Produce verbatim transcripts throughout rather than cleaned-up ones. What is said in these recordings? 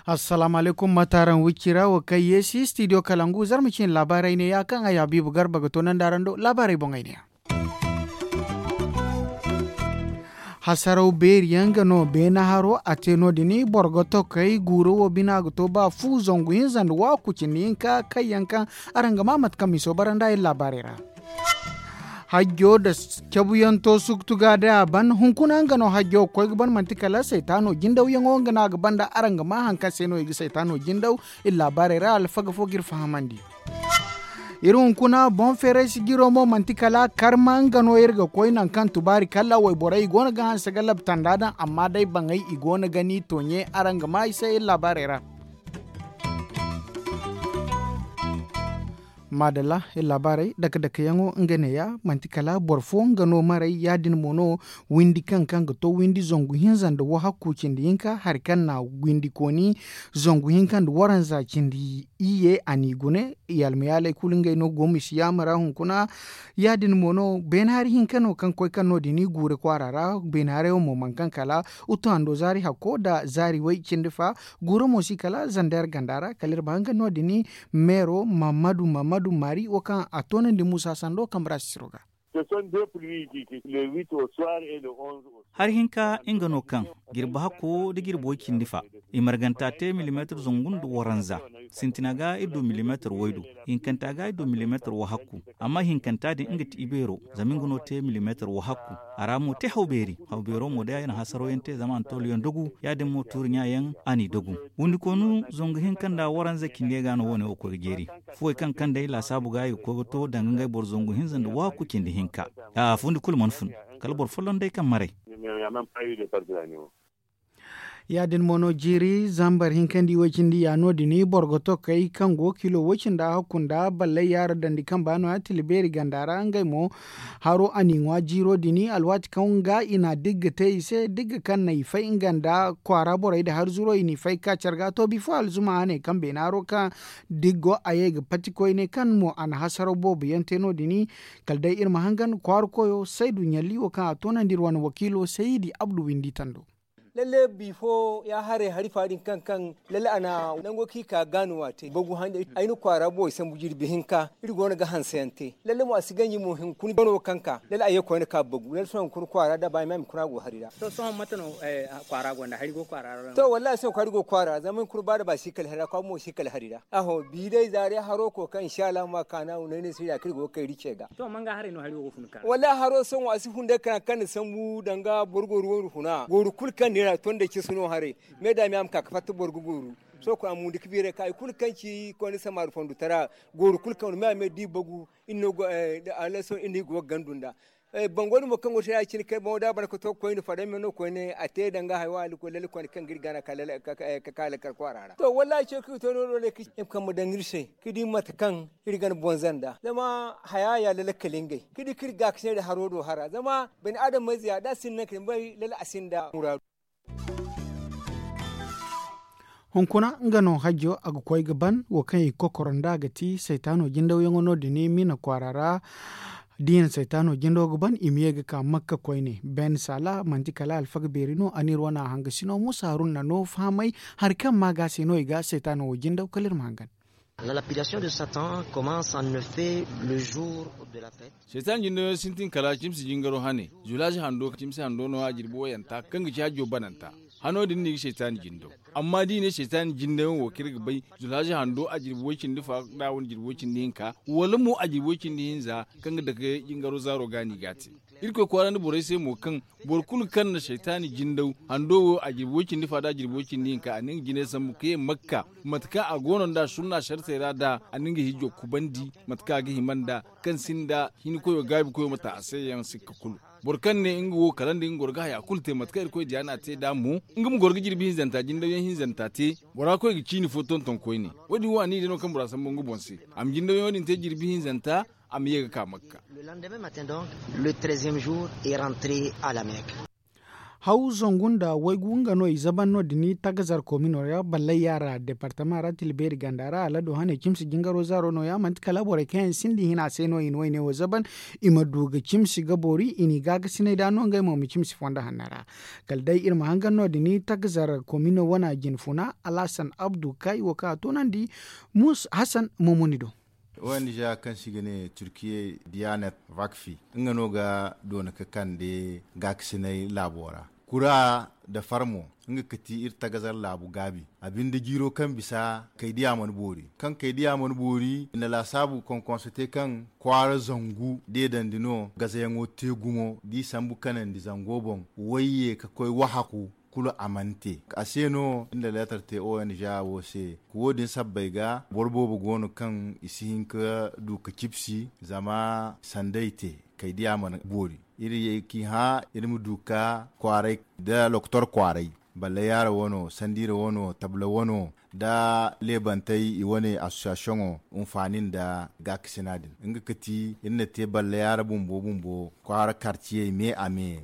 Assalaamu alaykum, mate araŋ wicci ra? Wo kaŋ yeesi studio kalangu zarma ciine laabaarey neeya kaŋ ay habiibu garba ga toonandi araŋ do laabaarey boŋey neeya. Hasaraw beeri yaŋ ga no beene haro a te no- din boro ga tokey guuro wo bina ga to ba fu zangu hinza nda waaku cindi hinka kaŋ yaŋ kaŋ araŋ ga maa mate kaŋ miso bara nda iri laabaarey ra. Hajjo nda cabuyaŋ to suktu ga day a ban hunkuna nga no hajjo ga koy ga ban manti kala saytaano jindawyaŋo nga no a ga ban nda araŋ ga maa hari kaŋ se no i ga saytaano jindaw. Iri laabaarey ra alfaga fo ga iri fahamandi. Iri hunkuna boŋ feeray sijiro mo manti kala karma nga no iri ga koy nangu kaŋ tubaari kala wayborey i go no ga hanse ga labtanda daŋ amma day baŋey i go no ga ni tooɲe araŋ ga maa i se iri laabaarey ra. Maadalla iri laabaarey dake dake yaŋo nga neeya manti kala boro fo nga no maray ya- din mo no windi kaŋ kaŋ ga to windi zangu hinza nda wahakku cindi hinka hari kaŋ na windi kooni zangu hinka nda waranza cindi iyye a n'i gune. Yalma yaaley kulu ngey no go misi yaamara hunkuna. Ya- din mo no beene hari hinka no kaŋ koy kaŋ no- din guure kwaara ra beene haray wo mo mana kaŋ kala utu hando zaari hakko nda zaari way cindi fa. Guuro mo si kala zander ganda ra kala iri ma hanga no- din meero mammadu mammadu maari wo kaŋ a toonandi muusa sando kambe ra sisiro ga. Hari hinka nga no kaŋ jirbi hakko nda jirbi way cindi fa. I marganta te milimeetar zangu nda waranza. Sintina ga iri du milimeetar waydu. Hinkanta ga iri du milimeetar wahakku. Amma hinkanta din nga ti ibeero zama nga no te milimeetar wahakku. A ra mo te hawbeeri. Hawbeero mo day a na hasaro yaŋ te zama a na toolu yaŋ dogu. Ya- din mo tuuri ɲa yaŋ a n'i dogu. Wundikoonu zangu hinka nda waranza cindi yaŋ ga no wo- ne wo koy ga jeeri. Fuwey kaŋ kaŋ day laasaabu ga i ga koy ga to danga ngey boro zangu hinza nda waaku cindi hinka. A fundi kulu mana fun. Kala boro folloŋ day kaŋ maray. Ya- din mo no jiiri zambar hinka nda i way cindi ya no- din boro ga tokey kaŋ go kilo way cindi a hakku nda ballay yaara dandi kaŋ ba no- ya tila beeri ganda ra ngey mo. Haro a n'i ŋwa jiiro din alwaati kaŋ ga i na digga te i se digga kaŋ na i fay nga nda kwaara borey nda harzuro i n'i fay ga ka care ga to bifo alzuma a ne kaŋ beene haro kaŋ diggo a ye ga pati koyne kaŋ mo a na hasaraw boobo yaŋ te no- din. Kala day iri ma hangan kwaara koyo saydu ɲalli wo kaŋ a toonandi iri wane wakiilo saydi abdu windi tando. Lalle bifo ya haray hari fa din kaŋ kaŋ lalle a na nango kaŋ i ka gaanuwa te bagu hande ay na kwaara boobo sambu jirbi hinka. Iri go no ga hanse yaŋ te lalle mo a si ganji mo hunkuna bano kaŋ ka lalle a ye koyne ka bagu lalle sohõ hunkuna kwaara da ba i ma hunkuna go hari ra. To sohõ mate no kwaara gonda hari go kwaara ra? To wallahi sohõ kwaara go kwaara zama hunkuna ba da ba si kala hari ra kwaara mo si kala hari ra. Aho bi day zaari haro ko kaŋ inshallah ma kaana wo no ay ne si da kaŋ iri go ga kay iri ce ga. To manga haray no hari wo ga fun ka? Wallahi haro sohõ a si fun day kaŋ kaŋ na sambu danga boro go ruwa huna gooru kulu kaŋ neera to nda cisi no haray. Me da me a ma ka ga fatta boro ga gooru. Sohõ a mundi ga biiray ka hari kulu kaŋ ci koyne samari fondo tara gooru kulu kaŋ me a me da i bagu. Iri no go a laso iri no i go ga gandu nda bango din mo kaŋ go te ya- cine kay boŋo da a ban ka to koyne fadam yaŋ no koyne a te danga haya wo a lalle koyne kaŋ ga iri gana ka ka lakkal kwaara ra to wallahi ce kaŋ i to no- no ne kaŋ i ma daŋ iri se ka di mate kaŋ iri gana bonza nda zama haya ya lalle kala ngey ka di kaŋ iri ga ka se da haro do hara zama bani adamey ze ya da a sinda naŋ kaŋ ni bay lalle a sinda muraadu. Hunkuna nga no hajjo a ga koy ga ban wo kaŋ i ga kokoro nd'a ga ti saytaano jindawyaŋo no- din mina kwaara ra. Da i na saytaano jindo ga ban i ma ye ga ka makka koyne ben sala manti kala alfaga beeri no a n'iri wane a hangasino musa haruna no fahamay hari kaŋ ma ga se no i ga saytaano wo jindaw kala iri ma hangan. La lapidation de satan commence en effet le jour de la fête. Seytan jindo yaŋ sintin kala cimsi jingaro hane. Zulaazi hando cimsi hando no a jirbi wayanta kaŋ ga ci hajjo bananta. Hano din no i ga seytaani jindo. Amma da i ne seytaani jindo yaŋ wo kaŋ iri ga bay zulaazi hando a jirbi way cindi fa da wane jirbi way cindi hinka wala mo a jirbi way cindi hinza kaŋ ga dake jingaro zaaro ga no i ga a te. Irkoy kwaarandi borey se mo kaŋ boro kulu kaŋ na seytaani jindaw hando wo a jirbi way cindi fa da a jirbi way cindi hinka a na nga jinay sambu ka ye makka mate kaŋ a go no nd'a sunna sartey ra da a na nga hijjo kubandi mate kaŋ a ga hima nd'a kaŋ sinda hinkoyo gaabikoyo ma ta a se yaŋ sikka kulu. Boro kaŋ ne nga wo kala nda nga goro ga haya kulu te mate kaŋ irkoy diya no a te nd'a mo. Nga ma goro ga jirbi hinzanta jindawyaŋ hinzanta te. Bora koy ga ciini fo tonton koyne. Wo- din wo a ni day no kaŋ bora sambu nga boŋ se a ma jindawyaŋo din te jirbi hinzanta a ma ye ga ka makka. Le lendemain matin donc, le treizième jour est rentré à la mecque. Haw zangu nda waygu nga no i zaban no- din tagazar komino ra ballay yaara departama ra tilbeeri ganda ra alado hane cimsi jingaro zaaro no- ya manti kala borey kaŋ yaŋ sinda i hina se no i na wayne wo zaban. I ma du ga cimsi ga boori i n'i gaagasinay da no ngey mo ma cimsi fondo hanno ra. Kala day iri ma hangan no- din tagazar komino wana jinfuna alhasan abdu kaŋ i wo kaŋ a toonandi. Hasan momoni do. Ong kaŋ se i ga ne turkiye diyanet vakfi nga no ga doona ga kande gaakasinay laabo ra. Kura nda farmo nga ga ti iri tagazar laabu gaabi a binde jiiro kaŋ bisa kaydiya mana boori kaŋ kaydiya mana boori i na laasaabu konkonso te kaŋ kwaara zangu deedandi no gazayaŋo te gumo da i sambu kanandi zango boŋ wayye ga koy wahaku. Kulu a mana te a se no iri na leetar te ong wo se. Wo- din sabbay ga boro boobo go no kaŋ i si hin ga du ga cibsi zama sanda i te kaydiya mana boori. Iri ye ga i hã iri ma du ga kwaaray nda lokotor kwaaray balle yaara wano sandiira wano tabla wano nda leebantey i wane assosiyasiyoŋo hinfaani nda gaakasina din nga ga ti iri na te balle yaara bumbo bumbo kwaara karciyey me a me.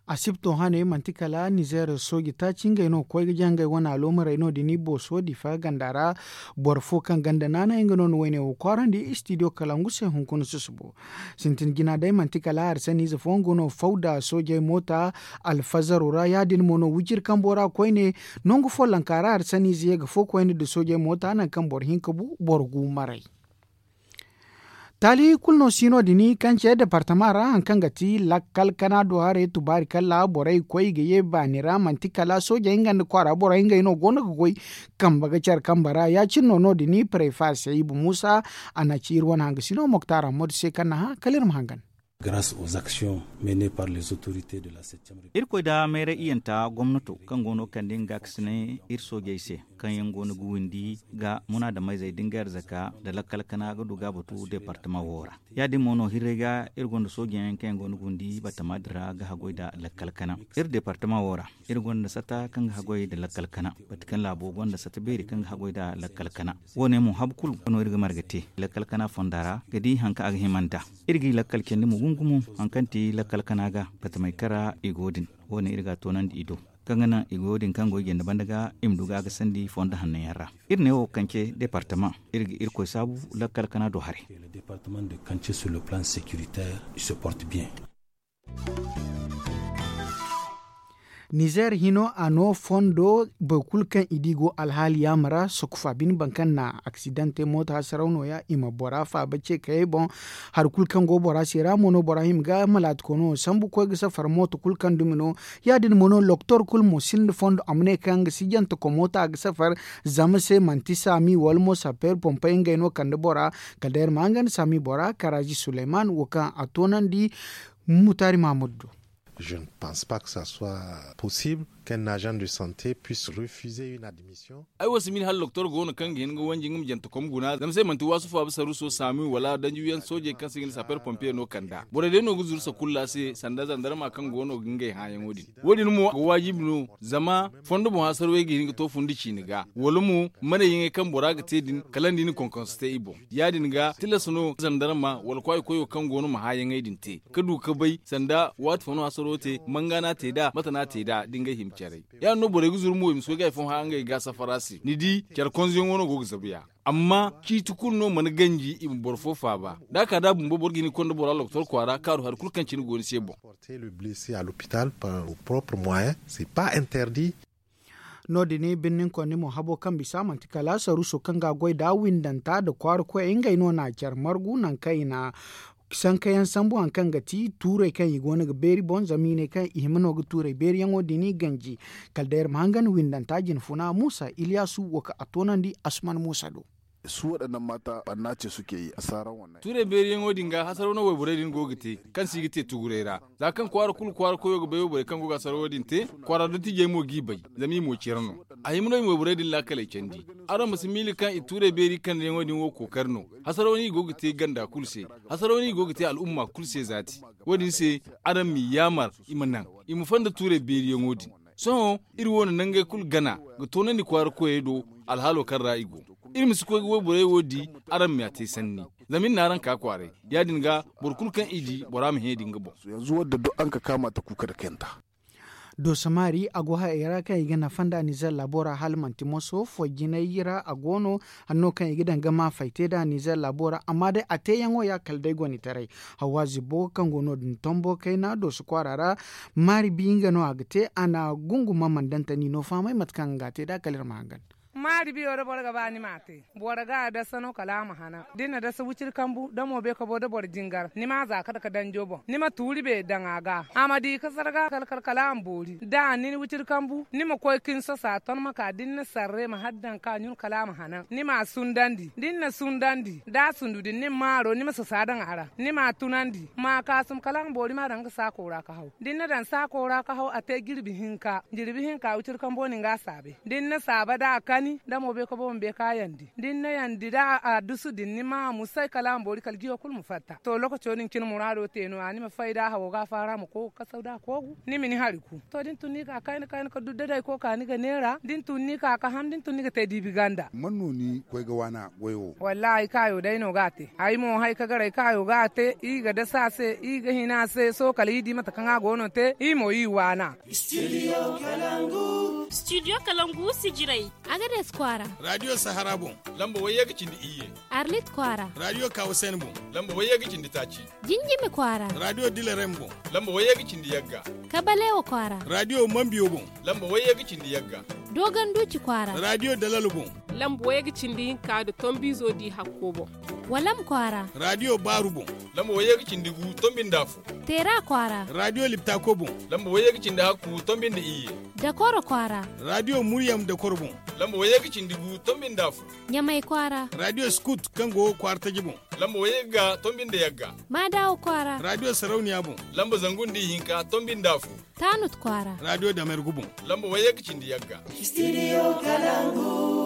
Asibto hane manti kala nizeer sooji taaci ngey no ga koy ga jangay wane aloomarey no- din i booso difa ganda ra. Boro fo kaŋ ganda naanay nga no na wayne wo kwaarandi istidiyo kala ngu se hunkuna susubo. Sintin jina day manti kala harsaniize fooyaŋ go no faw nda soojey moota alfazaro ra ya- din mo no wiciri kambo ra koyne. Nangu follonka ra harsaniize ye ga fo koyne nda soojey moota nangu kaŋ boro hinka bu boro gu maray. Taali kulu no si no- din kaŋ ce departama ra hari kaŋ ga ti lakkal kana do haray tubaari kalla borey ga koy i ga ye baani ra manti kala soojey nga nda kwaara borey ngey no go no ga goy. Kambe ga care kambe ra ya- cine no no- din prefa se iba muusa. A na ci iri wane hangasi no moktaara modu se kaŋ na hã kala iri ma hangan. Graas aux actions meene par les autorités de la septième république. Irkoy nda mayray iyanta gomnato kaŋ go no ga kande nga gaakasinay iri soojey se kaŋ yaŋ go no ga windi ga munaadameyzey da nga arzaka nda lakkal kana ga du ga a batu departama wo ra. Ya- din mo no hirray ga iri gonda sooji yaŋ kaŋ yaŋ go no ga windi batama din ra ga haggoy nda lakkal kana iri departama wo ra. Iri gonda sata kaŋ ga haggoy nda lakkal kana bati kaŋ laabo gonda sata beeri kaŋ ga haggoy nda lakkal kana. Wo- ne mo habu kulu no iri ga marga te lakkal kana fonda ra ga di hari kaŋ a ga hima nd'a. Iri ga i lakkal candi mo gumo gumo hari kaŋ ti lakkal kana ga batamey kaŋ ra i go din. Wo- ne iri ga a toonandi i do kaŋ ga naŋ i goyo din kaŋ go i janda banda ga i ma du ga a ga sandi fondo hanno yaŋ ra. Iri ne wo kaŋ ce departama iri ga irkoy saabu lakkal kana do haray. Nizeer hino a no fondo boro kulu kaŋ i di go alhaali yaama ra sokofa bine boro kaŋ na aksidaŋ te mooto hasaraw no- ya i ma bora faaba ce kayey boŋ. Hari kulu kaŋ go bora se ra mo no bora hima ga malaati koono sambu koy ga safar mooto kulu kaŋ dumi no. Ya- din mo no loktor kulu mo sinda fondo a ma ne kaŋ nga si jante komo ta ga safar. Zama se manti saami wala mo sapeer pompey ngey no kande bora. Kala day iri ma hangan saami bora karaaji suleyman wo kaŋ a toonandi. Mutaari mahammadu do. Je ne pense pas que ça soit possible qu'un agent de santé puisse refuser une admission. Ay wo si miila hala doktor go no kaŋ ga hin ga wanji nga ma jante kom guna zama se manti waasu faaba saruuso saami wala danjiwiyaŋ soojey kaŋ se ga ne sapeer pompiye no kand'a borey day no ga zuru sakulla se sanda zandarma kaŋ go no ga ngey hãyaŋo din. Wo- din mo ga waajibi no zama fondo boŋ hasarwey ga hin ga to fundi ciini ga wala mo manayyaŋey kaŋ bora ga te din kala nda i na konkonso te i boŋ. Ya- din ga tilas no zandarma wala kwaayi koyo kaŋ go no ma hãyaŋey din te ga du ga bay sanda waati fo no hasaro te manga no a te nd'a mate no a te nd'a da ngey hima caray. Ya- din no borey ga zuru mo i ma si koy ga hari fooyaŋ hã ngey ga safara se ni di care konzoyaŋo no go ga zabu ya. Amma ciiti kulu no mana ganji i ma boro fo faaba da a ka da bumbo boro ga hin ga konda bora loktor kwaara kaaru hari kulu kaŋ cine go ni se boŋ. No- din birnin konni mo habo kaŋ bisa manti kala saruuso kaŋ ga a goy nd'a windanta nda kwaara koyey ngey no na care margu nangu kaŋ i na sankayaŋ sambu hari kaŋ ga ti tuurey kaŋ i go no ga beeri boŋ zama i ne kaŋ i hima no ga tuurey beeriyaŋo din ganji. Kala day iri ma hangan windanta jinfuna muusa iliyaasu wo kaŋ a toonandi asuman muusa do. Su waɗannan mata ɓanna ce suke yi a saran wannan. Tuurey beeriyaŋo din ga hasaro no wayborey din go ga te kaŋ se i ga te tuguray ra. Za kaŋ kwaara kulu kwaara koyo ga bay wayborey kaŋ go ga hasaro din te kwaara dottijey mo g'i bay. Zama i mo care no. A hima no i ma wayborey din laakaley candi. Araŋ ma si miila kaŋ i tuurey beeri kandayaŋo din wo kookari no. Hasaro no i go ga te ganda kulu se. Hasaro no i go ga te al'umma kulu se zaati. Wo- din se araŋ m'i yaamar i ma naŋ i ma fonda tuurey beeriyaŋo din. Sohõ iri wo na nangey kulu gana ga toonandi kwaara koyey do. Alhaalo kaŋ ra i go iri ma si koy ga wayborey wo di. Araŋ m'a te sanni zama iri n'araŋ ka kwaaray. Ya- din ga boro kulu kaŋ i di bora ma hẽ da nga boŋ. Yanzu wadda duk araŋ ka kaama ta kuuka da kayanta. Dooso maari a go hayey ra kaŋ i ga nafa nda nizer laabo ra hala manti moso fo jinay ra a go no. Hanno kaŋ i ga daŋ ga ma fay te nda nizer laabo ra amma day a teeyaŋo ya kala day gonitaray. Hawwaazi bo kaŋ go no- din tombo kayna dooso kwaara ra. Maari bi nga no a ga te a na gunguma mandantani no fahamay mate kaŋ nga ga a te nd'a kala iri ma hangan. Maari biyo da boro ga ba ni m'a te. Boro ga a dasa no kala a ma hanan da ni na dasa wiciri kambu da mo beekabo da boro jingar ni ma a za ka dake danjo boŋ ni ma tuuri beeri daŋ a ga. A ma di ka zarga kala kala kala a ma boori da a nin wiciri kambu ni ma koy ka ni soso a ton ma ka da ni na sarre ma har daŋ ka ɲun kala a ma hanan ni ma a sundandi da ni na sundandi da a sundu din ni ma maaro ni ma soso a daŋ a ra ni ma a tunandi ma a kaasum kala a ma boori ma a daŋ ga saako ra ka haw da ni na daŋ saako ra ka haw a te jirbi hinka jirbi hinka wiciri kambo no ni ga a saabe da ni na saaba da a kani da mo beekabo ma beeka yandi da ni na yandi da a dusu din ni ma a musay kala a ma boori kala jiyo kulu ma fatta to lookaco din cine muraado te no- ya ni ma fay da a hawo ga a faara ma koy ga kasaw da a koogu ni ma ni hari ku to da ni tun ni ka kayna kayna ka dudda day koy ka ni ga neera da ni tun ni ka ka ham da ni tun ni ga te diibi ganda. Man no ni koy ga waana goyo wo? Wallaahi kaayo day no ga a te ay mo hay ka gar ay kaayo ga a te i ga dasa a se i ga hina a se sohõ kala i di mate kaŋ a go no te i mo i waana. Studio kalangu si jiray. Agades kwaara. Radiyo sahara boŋ. Lamba wayye ga cindi iyye. Arlit kwaara. Radiyo kawusen boŋ. Lamba wayye ga cindi taaci. Jinjimi kwaara. Radiyo dilarem boŋ. Lamba wayye ga cindi yagga. Kabalewa kwaara. Radiyo mambiyo boŋ. Lamba wayye ga cindi yagga. Dogon duuci kwaara. Radiyo dalal boŋ. Lamba wayye ga cindi hinka nda tombiizo di hakko boŋ. Walam kwaara. Radiyo baaru boŋ. Lamba wayye ga cindi gu tombi nda afo. Teera kwaara. Radiyo liptako boŋ. Lamba wayye ga cindi hakku tombi nda iyye. Dakoro kwaara. Radiyo muryam dakoro boŋ. Lamba wayye ga cindi gu tombi nda afo. Ɲamay kwaara. Radiyo skut kaŋ go kwaara taji boŋ. Lamba wayye ga tombi nda yagga. Maadawa kwaara. Radiyo sarauniya boŋ. Lamba zangu nda ihinka tombi nda afo. Taanut kwaara. Radiyo damergu boŋ. Lamba wayye ga cindi yagga. Studio kalangu.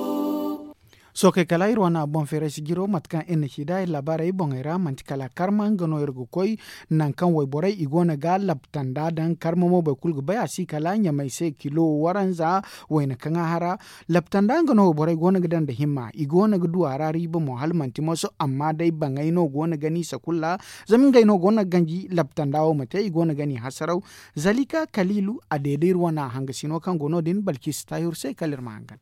Sookey kala iri wane a boŋ feeray si jiro mate kaŋ iri na ci nd'a iri laabaarey boŋey ra manti kala karma nga no iri ga koy. Nangu kaŋ wayborey i go no ga labtanda daŋ karma mo boro kulu ga bay a si kala ɲamay se kilo waranza. Wayna kaŋ a hara labtanda nga no wayborey go no ga daŋ nda himma i go no ga du a ra riiba mo hala manti moso amma day baŋey no go no ga ni sakulla. Zama ngey no go no ga ganji labtanda wo ma te i go no ga ni hasaraw. Zalika kaliilu a deeda iri wane a hangasino kaŋ go no- din balkiisa taahiru se kala iri ma hangan.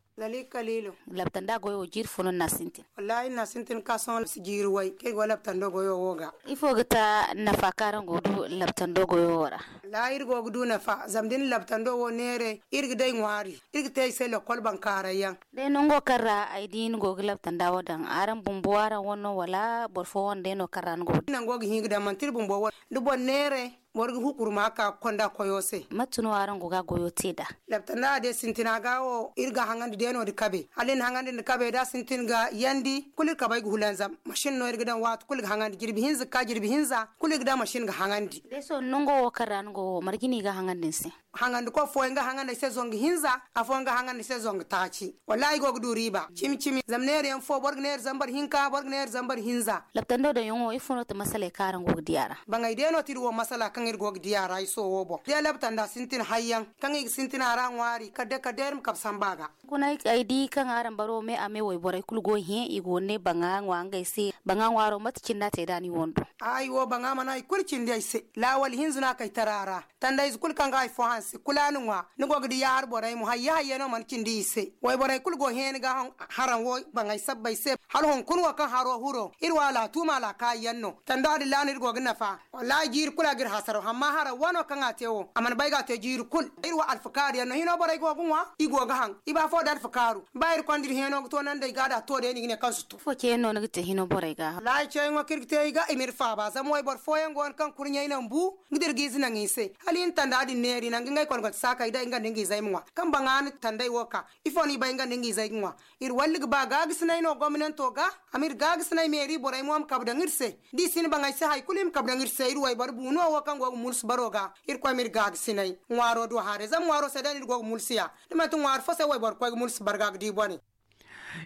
Labtanda goyo wo jiiri fo no ni na a sintin? Wallaahi ni na a sintin ka sohõ si jiiri way kaŋ ay go labtando goyo wo ga. Ifo ga ta nafa kaŋ araŋ go ga du labtando goyo wo ra? Wallaahi iri go ga du nafa zama da ni na labtando wo neeray iri ga day ŋwaari. Iri ga te i se lakkol bankaaray yaŋ. Day nango kaŋ ra ay di ni go ga labtanda wo daŋ araŋ bumbo araŋ wane no wala boro fo wane day no kaŋ ra ni go ga daŋ nango ga hin ga daŋ manti iri bumbo wane da boro neeray boro ga hukurma ka ga konda koyo se. Mate no araŋ go ga goyo te nd'a? Labtanda day sintina ga wo iri ga haŋandi day no nda kabe hala iri na haŋandi nda kabe da sintin ga yandi kulu iri kabay ga hulanzam. Masin no iri ga daŋ waati kulu ga haŋandi jirbi hinza ga ka jirbi hinza kulu iri ga daŋ masin ga haŋandi. Day sohõ nango wo kaŋ ra ni go wo marje no i ga haŋandi ni se? Haŋandikoy fooyaŋ ga haŋandi ay se zangu hinza. Afooyaŋ ga haŋandi ay se zangu taaci. Wallaahi ay go ga du riiba cimi cimi zama neera yaŋ fo boro ga neera zambar hinka boro ga neera zambar hinza. Labtando daŋyaŋo ifo no ti masaley kaŋ araŋ go ga di a ra? Baŋey day no ti iri wo masala kaŋ iri go ga di a ra ay sohõ wo boŋ day labtanda sintin hayyaŋ kaŋ i ga sintin a ra ŋwaari kala day kala day iri ma kabe samba ga. Hunkuna ay di kaŋ araŋ baro me a me wayborey kulu go ga hẽ i go ga ne baŋa ŋwa ngey se. Baŋa ŋwaaro mate cine no a te nd'a ni wando? Ay wo baŋa mana hari kulu cindi ay se. Laawali hinza no a kay tara ra. Tandayze kulu kaŋ ga hari fo hanse kulu a na ŋwa. Ni go ga di yaahar borey mo hayye hayye no mana cindi i se. Wayborey kulu go ga hẽ ni ga haraŋ wo baŋey sabbay se. Hala hunkuna wo kaŋ haro huro iri wo alaatuuma alaakaayi yaŋ no tanda adilla no iri go ga nafa. Wallaahi jiiri kulu a ga iri hasaraw amma haraŋ wano kaŋ a te wo a mana bay ga a te jiiri kulu. Iri wo alfakaari yaŋ no hino borey go ga ŋwa i go ga haŋ i ba fo da alfakaaru. Ba iri konda iri hẽeno ga to naŋ day ga da to day no i ga ne kaŋ si to. Ifo ceeyaŋ no ni ga te hino borey ga? Wallaahi ceeyaŋo kaŋ iri ga te i ga i ma iri faaba zama wayboro fooyaŋ go no kaŋ kurɲey naŋ bu ga dira ga ize naŋ i se. Hala i na tanda din neeri nangu ngey kologonte saakey day nga nda nga izey ma ŋwa kaŋ baŋa na tandey wo ka. Ifo no i bay nga nda nga izey ga ŋwa? Iri walli ga ba gaagasinay no gomnanto ga. A ma iri gaagasinay meeri borey mo ma kabe daŋ iri se. Da i si ni baŋ ay se hari kulu i ma kabe daŋ iri se iri wayboro bu no wo kaŋ go ga mulsu baro ga. Irkoy ma iri gaagasinay ŋwaaro do haray zama ŋwaaro se day no iri go ga mulsu ya. Da manti ŋwaari fo se wayboro koy ga mulsu barga ga di bone.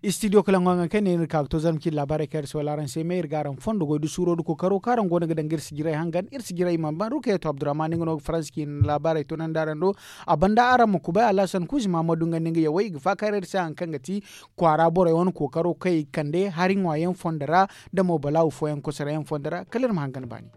Istidiyo kala ŋwa nga kaŋ ne iri ka ga to zarma cindi laabaarey kaŋ iri si wala araŋ se me iri ga araŋ fondo goy da suuro da kookaro kaŋ araŋ go no ga daŋ ga iri si jiray hangan iri si jiray i mana ban rukayeto abdurrahman nga no ga faransa ciine laabaarey tunandi araŋ do. A banda araŋ ma kubay alhasan kuuzi mahamadu nga nda nga yawey i ga faakar iri se hari kaŋ ga ti kwaara borey wane kookaro kaŋ i ga kande hari ŋwaayaŋ fondo ra. Da mo balaawu fooyaŋ kosarayaŋ fondo ra kala iri ma hangan baani.